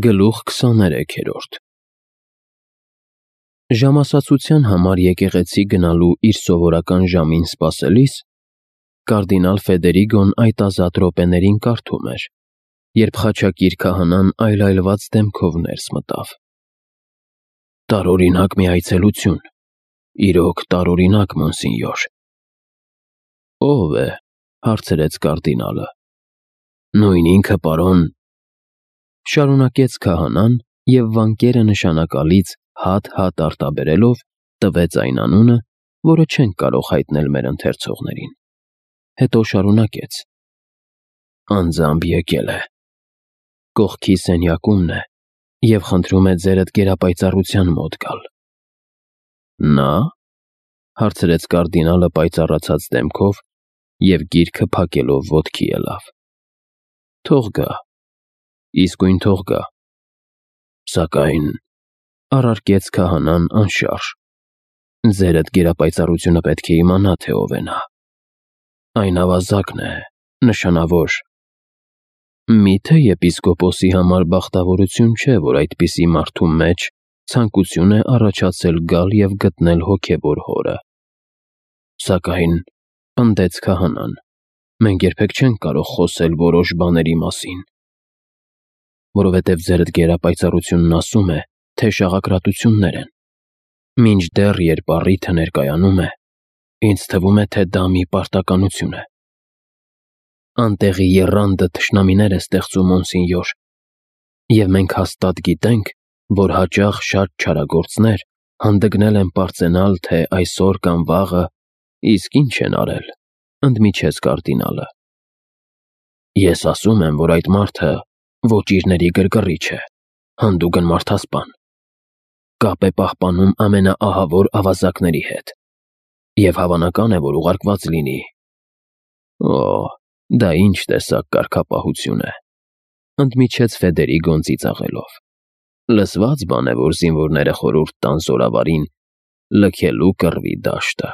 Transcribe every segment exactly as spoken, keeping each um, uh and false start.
Գլուխ քսաներեքերորդ Ժամասացության համար եկեղեցի գնալու իր սովորական ժամին սպասելիս, կարդինալ Ֆեդերիգոն այդ ազատ րոպեներին կարդում էր, երբ խաչակիր քահանան այլայլված դեմքով ներս մտավ։ Տարօրինակ մի այցելություն, իրոք տարօրինակ, մոնսինյոր։ Ո՞վ է, հարցրեց կարդինալը։ Նույն ինքը, պարոն, շարունակեց քահանան և վանկերը նշանակալից հատ-հատ արտաբերելով տվեց այն անունը, որը չենք կարող հայտնել մեր ընթերցողներին։ Հետո շարունակեց. Անձամբ եկել է, կողքի սենյակումն է և խնդրում է ձերդ գերապայծառության մոտ գալ։ Նա, հարցրեց կարդինալը պայծառացած դեմքով և գիրքը փակելով ոտքի ելավ։ Թող գա, իսկույն թող գա։ Սակայն, առարկեց քահանան անշարժ, ձերդ գերապայծառությունը պետք է իմանա, թե ով է նա։ Այն ավազակն է, նշանավոր։ Միթե եպիսկոպոսի համար բախտավորություն չէ, որ այդպիսի մարդու մեջ ցանկություն է առաջացել գալ և գտնել հոգևոր հորը։ Սակայն, պնդեց քահանան, մենք երբեք չենք կարող խոսել որոշ բաների մասին, որովհետև ձերդ գերապայծառությունն ասում է, թե շաղակրատություններ են։ Մինչդեռ, երբ առիթը ներկայանում է, ինձ թվում է, թե դա մի պարտականություն է։ Անտեղի եռանդը թշնամիներ է ստեղծում, մոնսինյոր, և մենք հաստատ գիտենք, որ հաճախ շատ չարագործներ հանդգնել են պարծենալ, թե այսօր կամ վաղը իսկ ինչ են արել, ընդմիջեց կարդինալը։ Ես ասում եմ, որ այդ մարդը ոճիրների գրգռիչ է, հանդուգն մարդասպան, կապ է պահպանում ամենաահավոր ավազակների հետ, և հավանական է, որ ուղարկված լինի։ Օ, դա ինչ տեսակ կարգապահություն է, ընդմիջեց Ֆեդերիգոն ծիծաղելով։ Լսված բան է, որ զինվորները խորհուրդ տան զորավարին լքելու կռվի դաշտը։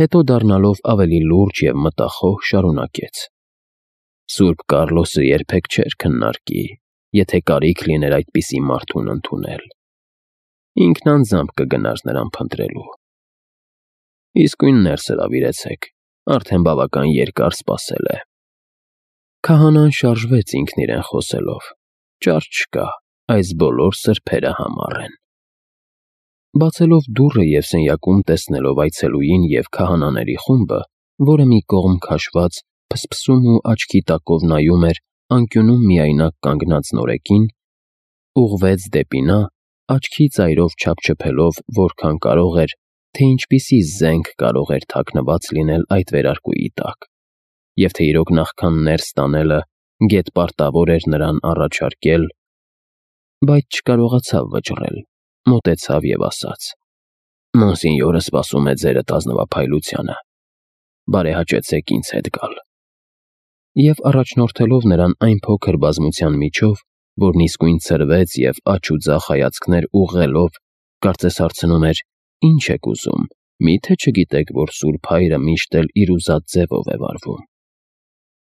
Հետո դառնալով ավելի լուրջ և մտախոհ շարունակեց. Սուրբ Կառլոսը երբեք չէր քննարկի, եթե կարիք լիներ այդպիսի մարդուն ընդունել։ Ինքն անձամբ կգնար նրան փնտրելու։ Իսկույն ներս հրավիրեցեք, արդեն բավական երկար սպասել է։ Քահանան շարժվեց ինքն իրեն խոսելով. Ճար չկա, այս բոլոր սրբերը համառ են։ Բացելով դուռը և սենյակում տեսնելով այցելուին և քահանաների խումբը, որը մի կողմ քաշված փսփսում ու աչքի տակով նայում էր անկյունում միայնակ կանգնած նորեկին, ուղղվեց դեպի նա, աչքի ծայրով չափչփելով որքան կարող էր, թե ինչպիսի զենք կարող էր թաքնված լինել այդ վերարկուի տակ, և թե իրոք նախքան ներս տանելը գեթպարտավոր էր նրան առաջարկել, բայց չկարողացավ վճռել, մոտեցավ և ասաց. Մոնսինյորը սպասում է ձերդ ազնվափայլությանը, բարեհաճեցեք ինձ հետ գալ։ Եվ առաջնորդելով նրան այն փոքր բազմության միջով, որն իսկույն ցրվեց և աջ ու ձախ հայացքներ ուղղելով, կարծես հարցնում էր. Ինչ եք ուզում, մի՞թե չգիտեք, որ Սուրբ Հայրը միշտ էլ իր ուզած ձևով է վարվում։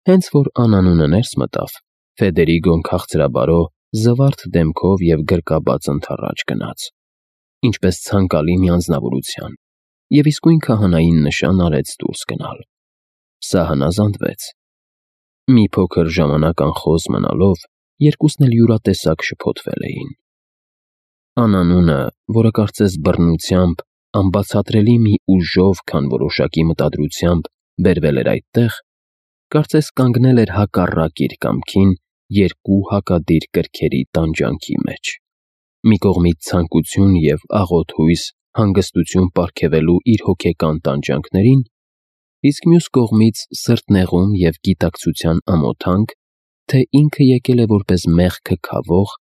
Հենց որ անանունը ներս մտավ, Ֆեդերիգոն քաղցրաբարո, զվարթ դեմքով և գրկաբաց ընդառաջ գնաց, ինչպես ցանկալի մի անձնավորության, և իսկույն քահանային նշան արեց դուրս գնալ։ Սա հնազանդվեց։ Մի փոքր ժամանակ անխոզ մնալով, երկուսն էլ յուրատեսակ շփոթվել էին։ Անանունը, որը կարծես բռնությամբ, անբացատրելի մի ուժով, քան որոշակի մտադրությամբ բերվել էր այդտեղ, կարծես կանգնել էր հակառակ իր կամքին երկու հակադիր կրքերի տանջանքի մեջ, մի կողմից ցանկություն և աղոտ հույս հանգստություն պարգևելու իր հոգեկան տանջանքներին, իսկ մյուս կողմից սրտնեղում և գիտակցության ամոթանք, թե ինքը եկել է որպես մեղքը քավող,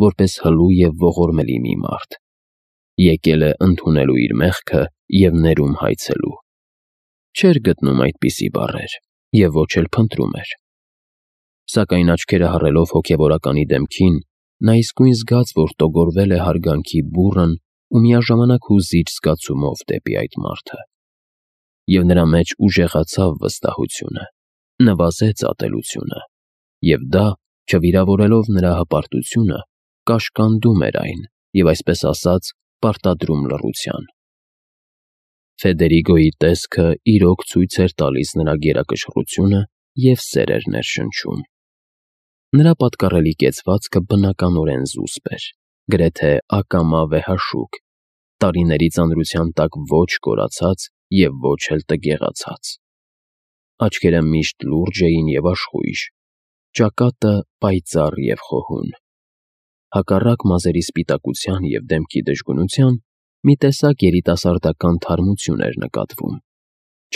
որպես հլու և ողորմելի մի մարդ, եկել է ընդունելու իր մեղքը և ներում հայցելու։ Չէր գտնում այդպիսի բառեր և ոչ էլ փնտրում էր։ Սակայն աչքերը հառելով հոգևորականի դեմքին, նա իսկույն զգաց, որ տոգորվել է հարգանքի բուռն ու միաժամանակ հուզիչ զգացումով դեպի այդ մարդը։ Եվ նրա մեջ ուժեղացավ վստահությունը, նվազեց ատելությունը, և դա Չվիրավորելով նրա հպարտությունը, կաշկանդում էր այն և, այսպես ասած, պարտադրում լռության։ Ֆեդերիգոյի տեսքը իրոք ցույց էր տալիս նրա գերակշռությունը և սեր էր ներշնչում։ Նրա պատկառելի կեցվածքը բնականորեն զուսպ էր, գրեթե ակամա վեհաշուկ, տարիների ծանրության տակ ոչ կորացած և ոչ էլ տգեղացած։ Աչքերը միշտ լուրջ էին և աշխույժ, ճակատը պայծառ և խոհուն։ Հակառակ մազերի սպիտակության և դեմքի դժգունության, մի տեսակ երիտասարդական թարմություն էր նկատվում,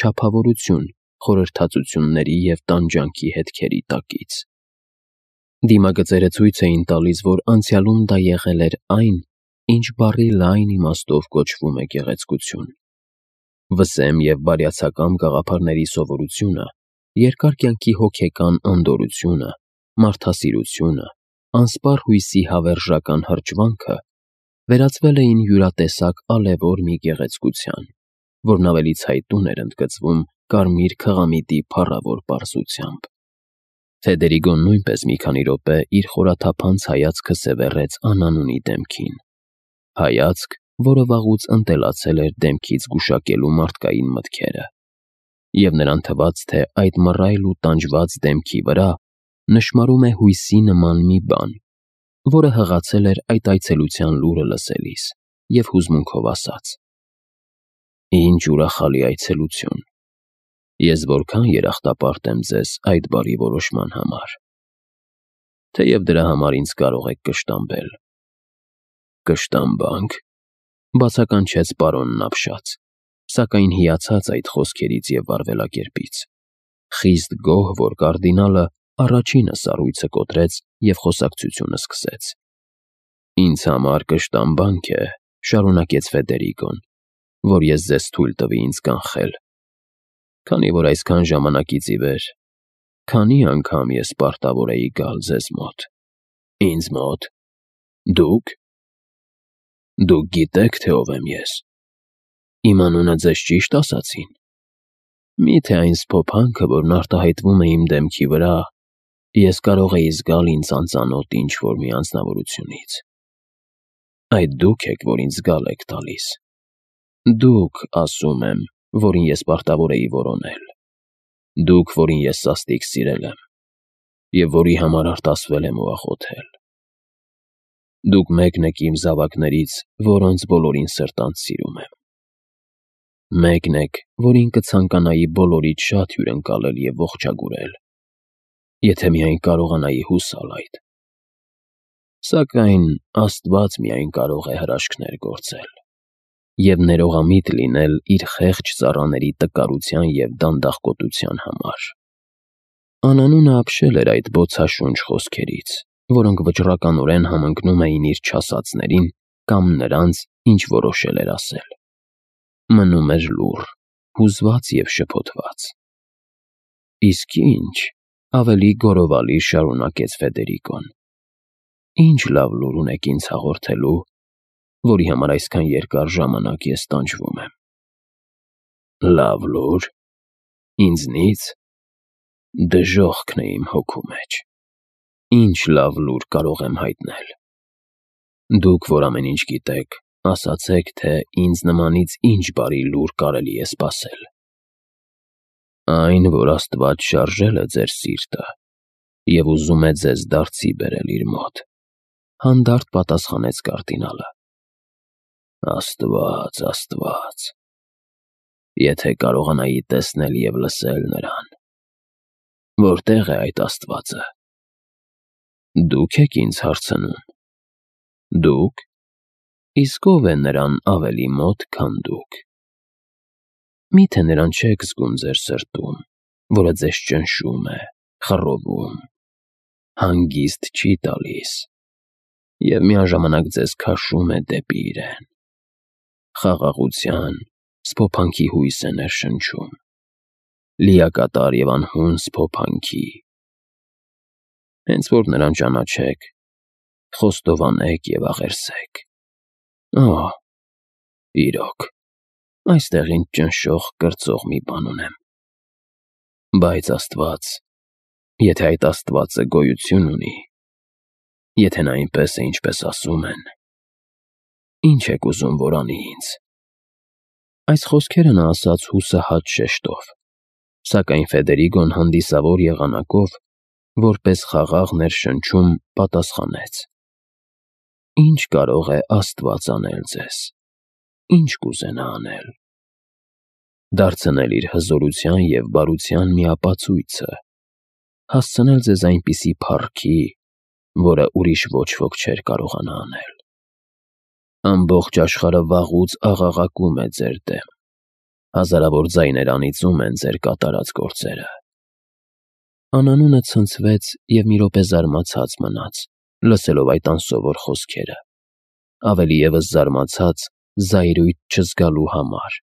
չափավորություն խորհրդածությունների և տանջանքի հետքերի տակից։ Դիմագծերը ցույց էին տալիս, որ անցյալում դա եղել էր այն, ինչ բառի լայն իմաստով կոչվում է գեղեցկություն։ Վսեմ և բարյացակամ գաղափարների սովորությունը, երկար կյանքի հոգեկան անդորրությունը, մարդասիրությունը, անսպառ հույսի հավերժական հրճվանքը վերածվել էին յուրատեսակ ալևոր մի գեղեցկության, որն ավելի ցայտուն էր ընդգծվում կարմիր քղամիտի փառավոր պարզությամբ։ Ֆեդերիգոն նույնպես մի քանի րոպե իր խորաթափանց հայացքը սևեռեց անանունի դեմքին, հայացք, որը վաղուց ընտելացել էր դեմքից գուշակելու մարդկային մտքերը, և նրան թվաց, թե այդ մռայլ ու տանջված դեմքի վրա նշմարում է հույսի նման մի բան, որը հղացել էր այդ այցելության լուրը լսելիս, և հուզմունքով ասաց. «Ինչ ուրախալի այցելություն, ես որքան երախտապարտ եմ ձեզ այդ բարի որոշման համար, թեև դրա համար ինձ կարող եք կշտամբել»։ «Կշտամբանք», բացականչեց պարոնն ապշած, սակայն հիացած այդ խոսքերից և վարվելակերպից, խիստ գոհ, որ կարդինալը առաջինը սառույցը կոտրեց և խոսակցությունը սկսեց։ «Ինձ համար կշտամբանք է, — շարունակեց Ֆեդերիգոն, — որ ես ձեզ թույլ տվի ինձ կանխել, քանի որ այսքան ժամանակից ի վեր քանի անգամ ես պարտավոր էի գալ ձեզ մոտ»։ «Ինձ մոտ… Դու՞ք… Դուք գիտեք, թե ով եմ ես… Իմ անունը ձեզ ճի՞շտ ասացին… Մի՞թե այն սփոփանքը, որն արտահայտվում է իմ դեմքի վրա, ես կարող էի զգալ ինձ անծանոթ ինչ-որ մի անձնավորությունից… Այդ դուք եք, որ ինձ զգալ եք տալիս… Դուք, ասում եմ, որին ես պարտավոր էի որոնել… Դուք, որին ես սաստիկ սիրել եմ և որի համար արտասվել եմ ու աղոթել… Դուք մեկն եք իմ զավակներից, որոնց բոլորին սրտանց սիրում եմ… Մեկն եք, որին կցանկանայի բոլորից շատ հյուրընկալել և ողջագուրել, եթե միայն կարողանայի հուսալ այդ… Սակայն Աստված միայն կարող է հրաշքներ գործել և ներողամիտ լինել իր խեղճ ծառաների տկարության և դանդաղկոտության համար»։ Անանունը ապշել էր այդ բոցաշունչ խոսքերից, որոնք վճռականորեն համընկնում էին իր չասածներին կամ նրանց, ինչ որոշել էր ասել։ Մնում էր լուռ, հուզված և շփոթված։ «Իսկ ի՞նչ,— ավելի գոռովալի շարունակեց Ֆեդերիգոն,— ինչ լավ լուր ունեք ինձ հաղորդելու, որի համար այսքան երկար ժամանակ ես տանջվում եմ»։ «Լավ լո՞ւր… Ինձնի՞ց… Դժոխքն է իմ հոգու մեջ… Ինչ լավ լուր կարող եմ հայտնել… Դուք, որ ամեն ինչ գիտեք, ասացեք, թե ինձ նմանից ինչ բարի լուր կարելի է սպասել»։ «Այն, որ Աստված շարժել է ձեր սիրտը և ուզում է ձեզ դարձի բերել իր մոտ», — հանդարտ պատասխանեց կարդինալը։ «Աստված, Աստված… Եթե կարողանայի տեսնել և լսել նրան… Որտե՞ղ է այդ Աստվածը… Դուք եք ինձ հարցնում… Դուք… Իսկ ո՞վ է նրան ավելի մոտ, քան դուք… Մի՞թե նրան չեք զգում ձեր սրտում, որը ձեզ ճնշում է, խռովում, հանգիստ չի տալիս և միաժամանակ ձեզ քաշում է դեպի իրեն… Խաղաղության, սփոփանքի հույս է ներշնչում… Լիակատար և անհուն սփոփանքի… Հենց որ նրան ճանաչեք, խոստովանեք և աղերսեք… Օհ… Իրոք, այստեղ ինձ ճնշող, կրծող մի բան ունեմ… Բայց Աստված… Եթե այդ Աստվածը գոյություն ունի, Եթե նա այնպես է, ինչպես ասում են, ի՞նչ եք ուզում, որ անի ինձ։ Այս խոսքերը նա ասաց հուսահատ շեշտով, սակայն Ֆեդերիգոն հանդիսավոր եղանակով, որպես խաղաղ ներշնչում, պատասխանեց. Ինչ կարող է Աստված անել ձեզ, ինչ կուզենա անել։ Դարձնել իր հզորության և բարության մի ապացույցը, հասցնել ձեզ այնպիսի փառքի, որը ուրիշ ոչ ոք չէր կարողանա անել։ Ամբողջ աշխարհը վաղուց աղաղակում է ձեր դեմ, հազարավոր ձայներ անիծում են ձեր կատարած գործերը։ Անանունը ցնցվեց և մի րոպե զարմացած մնաց, լսելով այդ անսովոր խոսքերը, ավելի ևս զարմացած զայրույթ չզգալու համար,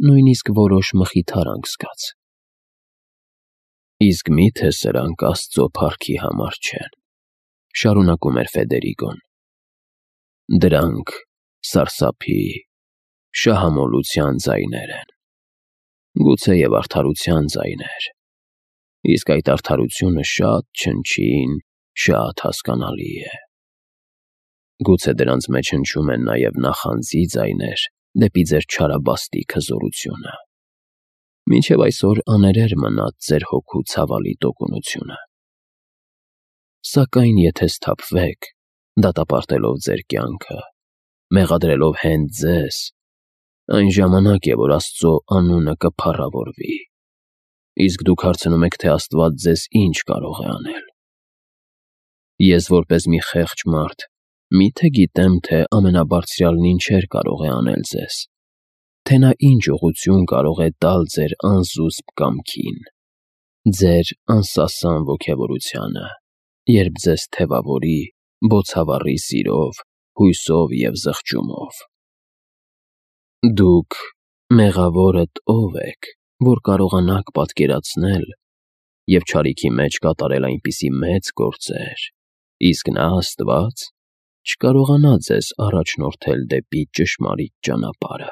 նույնիսկ որոշ մխիթարանք զգաց։ Իսկ մի՞թե սրանք Աստծո փառքի համար չեն, շարունակում էր Ֆեդերիգոն։ Դրանք սարսափի, շահամոլության ձայներ են, գուցեև արդարության ձայներ, իսկ այդ արդարությունը շատ չնչին, շատ հասկանալի է։ Գուցե դրանց մեջ հնչում են նաև նախանձի ձայներ դեպի ձեր չարաբաստիկ հզորությունը։ Մինչև այսօր աներեր մնաց ձեր հոգու ցավալի տոկունությունը։ Սակայն եթե սթափվեք, դատապարտելով ձեր կյանքը, մեղադրելով հենց ձեզ, այն ժամանակ է, որ Աստծո անունը կփառավորվի, իսկ դուք հարցնում եք, թե Աստված ձեզ ինչ կարող է անել։ Ես որպես մի խեղճ մարդ մի՞թե գիտեմ, թե Ամենաբարձրյալն ինչեր կարող է անել ձեզ, թե նա ինչ ուղղություն կարող է տալ ձեր անզուսպ կամքին, ձեր անսասան ոգևորությանը, երբ ձեզ թևավորի, բոցավառի սիրով, հույսով և զղջումով։ Դուք, մեղավորդ, ո՞վ եք, որ կարողանաք պատկերացնել և չարիքի մեջ կատարել այնպիսի մեծ գործեր, իսկ նա, Աստված, չկարողանա ձեզ առաջնորդել դեպի ճշմարիտ ճանապարհը։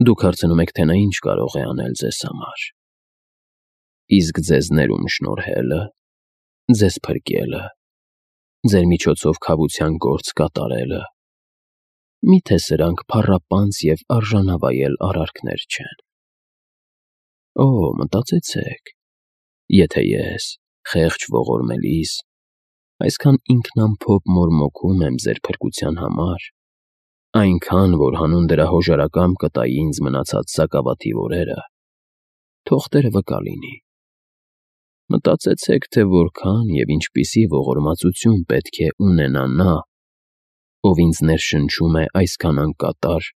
Դուք հարցնում եք, թե նա ինչ կարող է անել ձեզ համար։ Իսկ ձեզ ներում շնորհելը, ձեզ փրկելը, ձեր միջոցով քավության գործ կատարելը, մի՞թե սրանք փառապանծ և արժանավայել արարքներ չեն։ Օ, մտածեցեք, եթե ես, խեղճ ողորմելիս, այսքան ինքնամփոփ մորմոքում եմ ձեր փրկության համար, այնքան, որ հանուն դրա հոժարակամ կտայի ինձ մնացած սակավաթիվ օրերը, թող Տերը վկա լինի։ Մտածեցեք, թե որքան և ինչպիսի ողորմածություն պետք է ունենա նա, ով ինձ ներշնչում է այսքան անկատար,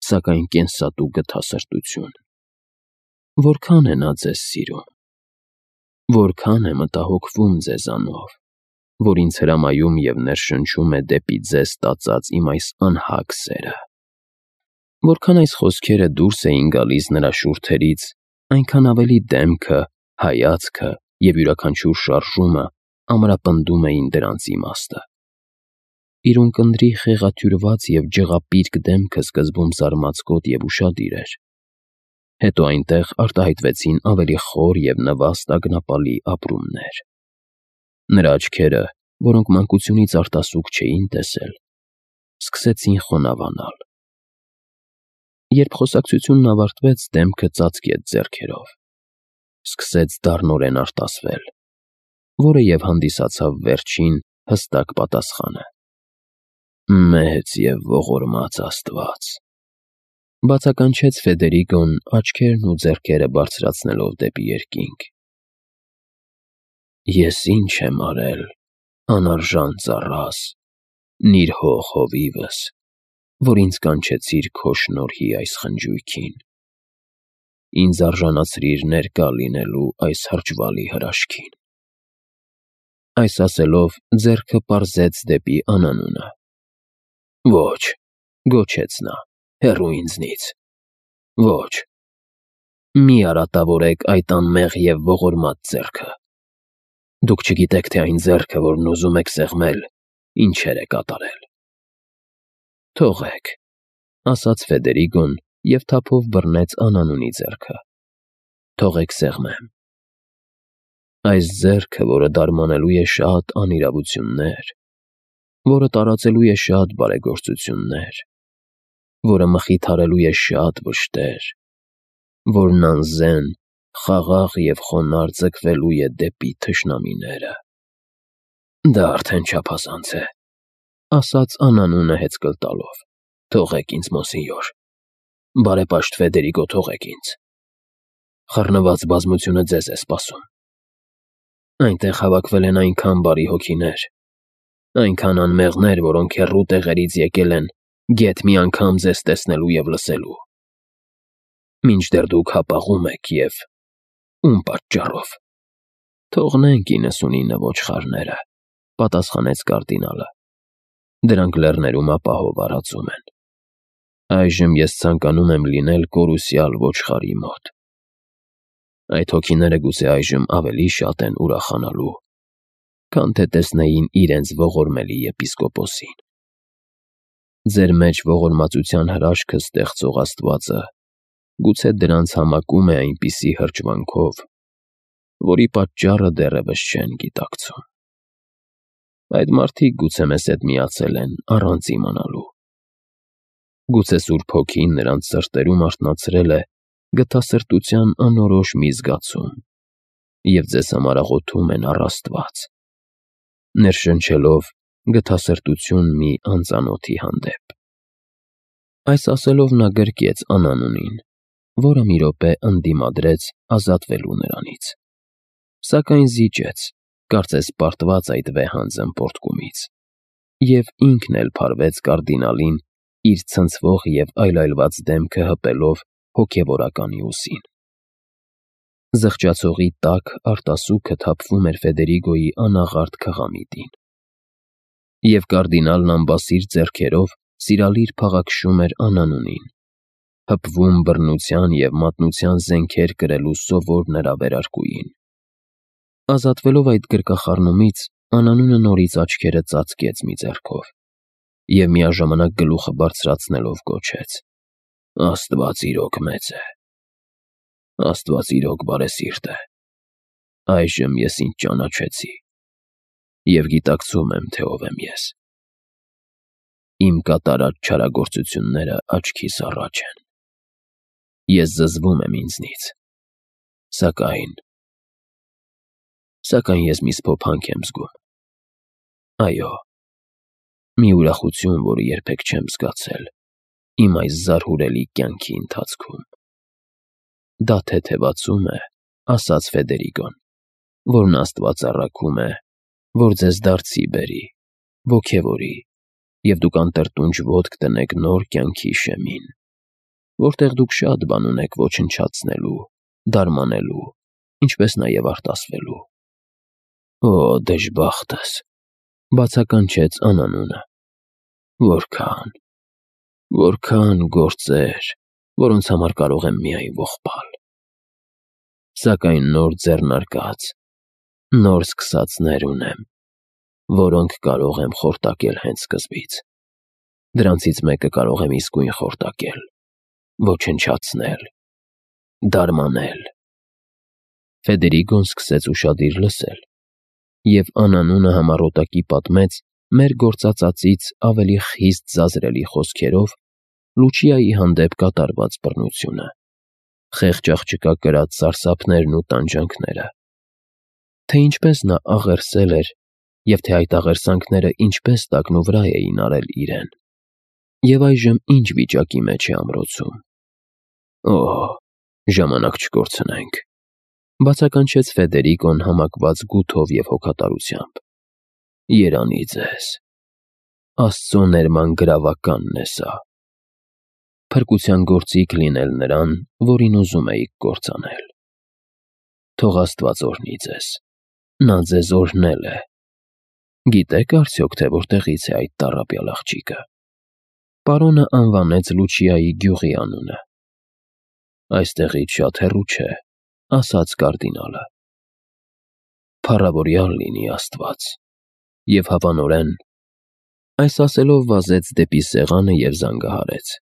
սակայն կենսատու գթասրտություն։ Որքան է նա ձեզ սիրում, որքան է մտահոգվում ձեզանով, որ ինձ հրամայում և ներշնչում է դեպի ձեզ տածած իմ այս անհագ սերը։ Որքան այս խոսքերը դուրս էին գալիս նրա շուրթերից, այնքան ավելի դեմքը, հայացքը և յուրաքանչյուր շարժումը ամրապնդում էին դրանց իմաստը։ Իր ունկնդրի խեղաթյուրված և ջղապիրկ դեմքը սկզբում զարմացկոտ և ուշադիր էր, հետո այնտեղ արտահայտվեցին ավելի խոր և նվաստ ագնապալի ապրումներ։ Նրա աչքերը, որոնք մանկությունից արտասուք չէին տեսել, սկսեցին խոնավանալ։ Երբ խոսակցությունն ավարտվեց, դեմքը ծածկեց ձեռքերով, սկսեց դառնորեն արտասվել, որը և հանդիսացավ վերջին հստակ պատասխանը. «Մեծ և ողորմած Աստված», բացականչեց Ֆեդերիգոն աչքերն ու ձեռքերը բարձրացնելով դեպի երկինք։ Ես ինչ եմ արել, անարժան ծառաս, նիրհող հովիվս, որ ինձ կանչեցիր քո շնորհի այս խնջույքին, ինձ արժանացրիր ներկա լինելու այս հրճվալի հրաշքին։ Այս ասելով ձեռքը պարզեց դեպի անանունը։ Ոչ, գոչեց նա, հեռու ինձնից, ոչ, մի արատավորեք այդ անմեղ և ողորմած ձեռքը։ Դուք չգիտեք, թե այն ձեռքը, որն ուզում եք սեղմել, ինչեր է կատարել։ Թողեք, ասաց Ֆեդերիգոն և թափով բռնեց անանունի ձեռքը։ Թողեք սեղմեմ։ Այս ձեռքը, որը դարմանելու է շատ անիրավություններ, որը տարածելու է շատ բարեգործություններ, որը մխիթարելու է շատ վշտեր, որն անզեն, խաղաղ և խոնարհ ձգվելու է դեպի թշնամիները։ Դա արդեն չափազանց է, ասաց անանունը հեծկլ տալով։ Թողեք ինձ, մոնսենյոր, բարեպաշտ Ֆեդերիկո, թողեք ինձ։ Խառնված բազմությունը ձեզ է սպասում։ Այնտեղ հավաքվել են այնքան բարի հոգիներ, այնքան անմեղներ, որոնք հեռու տեղերից եկել են գեթ մի անգամ ձեզ տեսնելու և լսելու։ Մինչդեռ դուք հապաղում եք և… ում պատճառով։ Թողնենք իննսունինը ոչխարները, պատասխանեց կարդինալը։ Դրանք լեռներում ապահով արածում են։ Այժմ ես ցանկանում եմ լինել կորուսյալ ոչխարի մոտ։ Այդ հոգիները գուցե այժմ ավելի շատ են ուրախանալու, քան թե տեսնեին իրենց ողորմելի եպիսկոպոսին։ Ձեր մեջ ողորմածության հրաշքը ստեղծող Աստվածը գուցե դրանց համակում է այնպիսի հրճվանքով, որի պատճառը դեռևս չեն գիտակցում։ Այդ մարդիկ գուցե մեզ հետ միացել են առանց իմանալու։ Գուցե Սուրբ Հոգին նրանց սրտերում արթնացրել է գթասրտության անորոշ մի զգացում և ձեզ համար աղոթում են առ Աստված, ներշնչելով գթասրտություն մի անծանոթի հանդեպ։ Այս ասելով նա գրկեց անանունին, որը մի րոպե ընդդիմադրեց ազատվելու նրանից, սակայն զիջեց, կարծես պարտված այդ վեհանձն պոռթկումից, և ինքն էլ փարվեց կարդինալին իր ցնցվող և այլայլված դեմքը հպելով հոգևորականի ուսին։ Զղջացողի տաք արտասուքը թափվում էր Ֆեդերիկոյի անաղարտ քղամիտին, և կարդինալն ամբասիր ձեռքերով սիրալիր փաղաքշում էր անանունին, հպվում բռնության և մատնության զենքեր կրելու սովոր նրա վերարկուին։ Ազատվելով այդ գրկախառնումից, անանունը նորից աչքերը ծածկեց մի ձեռքով և միաժամանակ գլուխը բարձրացնելով գոչեց. «Աստված իրոք մեծ է, Աստված իրոք բարեսիրտ է, այժմ ես ինձ ճանաչեցի և գիտակցում եմ, թե ով եմ ես։ Իմ կատարած չարագործությունները աչքիս առաջ են։ Ես զզվում եմ ինձնից, սակայն… սակայն ես մի սփոփանք եմ զգում։ Այո, մի ուրախություն, որը երբեք չեմ զգացել իմ այս զարհուրելի կյանքի ընթացքում։ Դա թեթևացում է, ասաց Ֆեդերիկոն, որն Աստված առաքում է, որ ձեզ դարձի բերի, ոգևորի, և դուք անտրտունջ ոտք դնեք նոր կյանքի շեմին, որտեղ դուք շատ բան ունեք ոչնչացնելու, դարմանելու, ինչպես նաև արտասվելու։ Օ, դժբախտս, բացականչեց անանունը։ Որքա՜ն… որքա՜ն գործեր, որոնց համար կարող եմ միայն ողբալ։ Սակայն նոր ձեռնարկած, նոր սկսածներ ունեմ, որոնք կարող եմ խորտակել հենց սկզբից։ Դրանցից մեկը կարող եմ իսկույն խորտակել, ոչնչացնել, դարմանել։ Ֆեդերիկոն սկսեց ուշադիր լսել, և անանունը համառոտակի պատմեց մեր գործածածից ավելի խիստ զազրելի խոսքերով Լուչիայի հանդեպ կատարված բռնությունը, խեղճ աղջկա կրած սարսափներն ու տանջանքները, թե ինչպես նա աղերսել էր և թե այդ աղերսանքները ինչպես տակնուվրա էին արել իրեն, և այժմ ինչ վիճակի մեջ է ամրոցում։ Օ՜, ժամանակ չկորցնենք, բացականչեց Ֆեդերիկոն համակված գութով և հոգատարությամբ։ Երանի ձեզ… Աստծո ներման գրավականն է սա։ Փրկության գործիք լինել նրան, որին ուզում էիք կործանել։ Թող Աստված օրհնի ձեզ, նա ձեզ օրհնել է։ Գիտե՞ք արդյոք, թե որտեղից է այդ տառապյալ աղջիկը։ Պարոնը անվանեց Լուչիայի գյուղի անունը։ Այստեղից շատ հեռու չէ, ասաց կարդինալը։ Փառավորյալ լինի Աստված, և հավանորեն… Այս ասելով վազեց դեպի սեղանը և զանգահարեց։